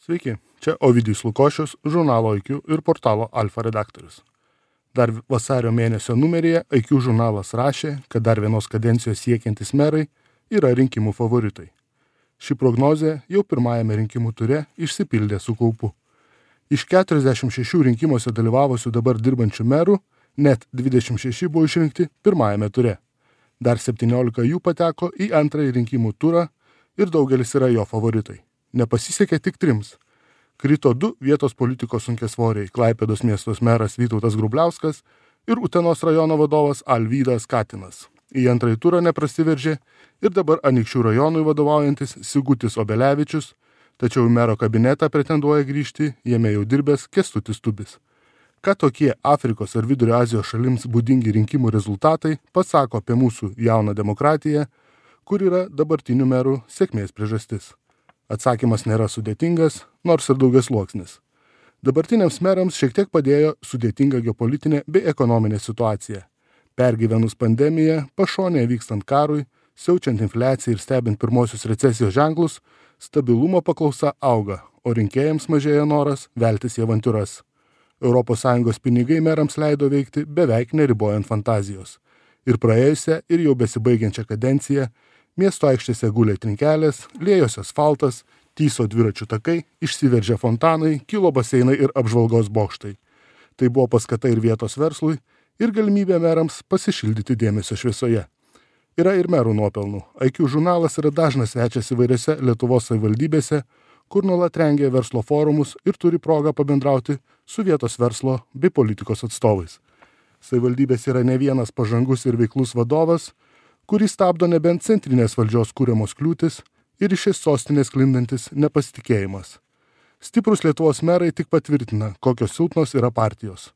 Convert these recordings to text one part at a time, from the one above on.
Sveiki, čia Ovidijus Lukošius, žurnalo IQ ir portalo Alfa redaktorius. Dar vasario mėnesio numeryje IQ žurnalas rašė, kad dar vienos kadencijos siekiantis merai yra rinkimų favoritai. Ši prognozė jau pirmajame rinkimų ture išsipildė su kaupu. Iš 46 rinkimuose dalyvavusių dabar dirbančių merų, net 26 buvo išrinkti pirmajame ture. Dar 17 jų pateko į antrąjį rinkimų turą ir daugelis yra jo favoritai. Nepasisekė tik 3. Krito 2 vietos politikos sunkiasvoriai – Klaipėdos miestos meras Vytautas Grubliauskas ir Utenos rajono vadovas Alvydas Katinas. Į antrąjį turą neprasiveržė ir dabar Anykščių rajonui vadovaujantis Sigutis Obelevičius, tačiau į mero kabinetą pretenduoja grįžti jame jau dirbęs Kęstutis Tubis. Ką tokie Afrikos ar Vidurio Azijos šalims būdingi rinkimų rezultatai pasako apie mūsų jauną demokratiją, kur yra dabartinių merų sėkmės priežastis. Atsakymas nėra sudėtingas, nors ir daugiasluoksnis. Dabartiniams merams šiek tiek padėjo sudėtinga geopolitinė bei ekonominė situacija. Pergyvenus pandemiją, pašonėje vykstant karui, siaučiant infliaciją ir stebint pirmosius recesijos ženklus, stabilumo paklausa auga, o rinkėjams mažėja noras veltis į avantiūras. ES pinigai merams leido veikti beveik neribojant fantazijos. Ir praėjusią, ir jau besibaigiančią kadenciją miesto aikštėse gulė trinkelės, liejosi asfaltas, tyso dviračių takai, išsiveržė fontanai, kilo baseinai ir apžvalgos bokštai. Tai buvo paskata ir vietos verslui, ir galimybė merams pasišildyti dėmesio šviesoje. Yra ir merų nuopelnų. IQ žurnalas yra dažnas svečias įvairiose Lietuvos savivaldybėse, kur nuolat rengia verslo forumus ir turi progą pabendrauti su vietos verslo bei politikos atstovais. Savivaldybės yra ne vienas pažangus ir veiklus vadovas, kurį stabdo nebent centrinės valdžios kūriamos kliūtis ir iš šios sostinės sklindantis nepasitikėjimas. Stiprus Lietuvos merai tik patvirtina, kokios silpnos yra partijos.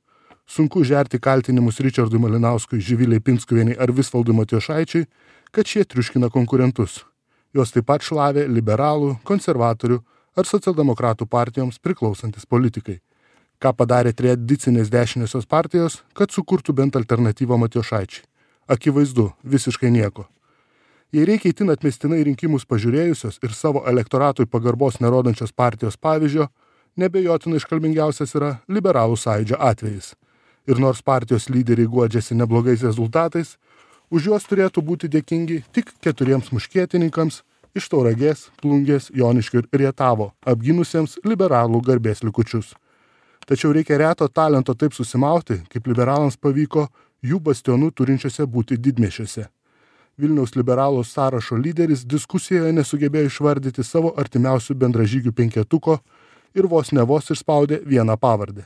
Sunku žerti kaltinimus Ričardui Malinauskui, Živilei Pinskuvienei ar Visvaldui Matijošaičiui, kad šie triuškina konkurentus. Jos taip pat šlavė liberalų, konservatorių ar socialdemokratų partijoms priklausantis politikai. Ką padarė tradicinės dešiniosios partijos, kad sukurtų bent alternatyvą Matijošaičiui? Akivaizdu, visiškai nieko. Jei reikia itin atmestinai rinkimus pažiūrėjusios ir savo elektoratui pagarbos nerodančios partijos pavyzdžio, nebejotinai iškalbingiausias yra liberalų sąjūdžio atvejis. Ir nors partijos lyderiai guodžiasi neblogais rezultatais, už juos turėtų būti dėkingi tik 4 muškietininkams iš Tauragės, Plungės, Joniškio ir Rietavo, apginusiems liberalų garbės likučius. Tačiau reikia reto talento taip susimauti, kaip liberalams pavyko jų bastionų turinčiose būti didmiesčiuose. Vilniaus liberalų sąrašo lyderis diskusijoje nesugebėjo išvardyti savo artimiausių bendražygių 5 ir vos išspaudė vieną pavardę.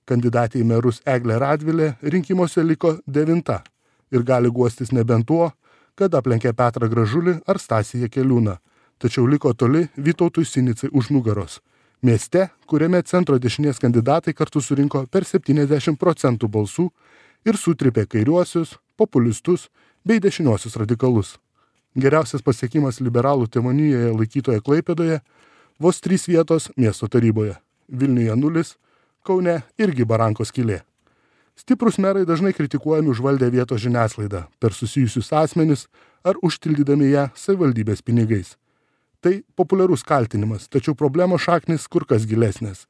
Kandidatė į merus Eglė Radvilė rinkimuose liko 9 ir gali guostis nebent tuo, kad aplenkė Petrą Gražulį ar Stasį Jakeliūną, tačiau liko toli Vytautui Sinicai už nugaros. Mieste, kuriame centro dešinės kandidatai kartu surinko per 70% balsų ir sutripė kairiuosius, populistus bei dešiniuosius radikalus. Geriausias pasiekimas liberalų tėvonijoje laikytoje Klaipėdoje – vos 3 vietos miesto taryboje. Vilniuje 0, Kaune irgi barankos skylė. Stiprus merai dažnai kritikuojami užvaldę vietos žiniasklaidą per susijusius asmenis ar užtildydami ją savivaldybės pinigais. Tai populiarus kaltinimas, tačiau problemos šaknis kur kas gilesnės.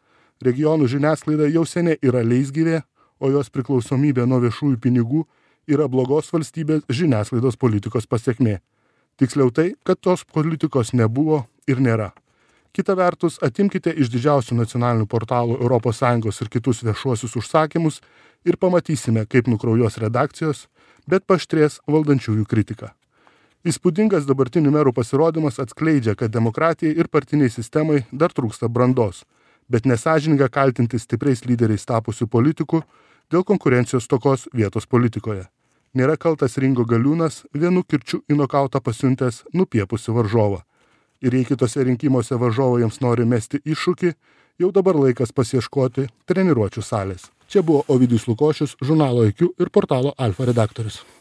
Regionų žiniasklaida jau seniai yra leisgyvė, o jos priklausomybė nuo viešųjų pinigų yra blogos valstybės žiniasklaidos politikos pasekmė. Tiksliau tai, kad tos politikos nebuvo ir nėra. Kita vertus, atimkite iš didžiausių nacionalinių portalų ES ir kitus viešuosius užsakymus ir pamatysime, kaip nukraujuos redakcijos, bet paaštrės valdančiųjų kritika. Įspūdingas dabartinių merų pasirodymas atskleidžia, kad demokratijai ir partiniai sistemai dar trūksta brandos, bet nesąžininga kaltinti stipriais lyderiais tapusių politikų dėl konkurencijos stokos vietos politikoje. Nėra kaltas Ringo Galiūnas vienu kirčiu į nokautą pasiuntęs nupiepusi varžovą. Ir jei kitose rinkimuose varžovai jiems nori mesti iššūkį, jau dabar laikas pasieškoti treniruočių salės. Čia buvo Ovidijus Lukošius, žurnalo IQ ir portalo Alfa redaktorius.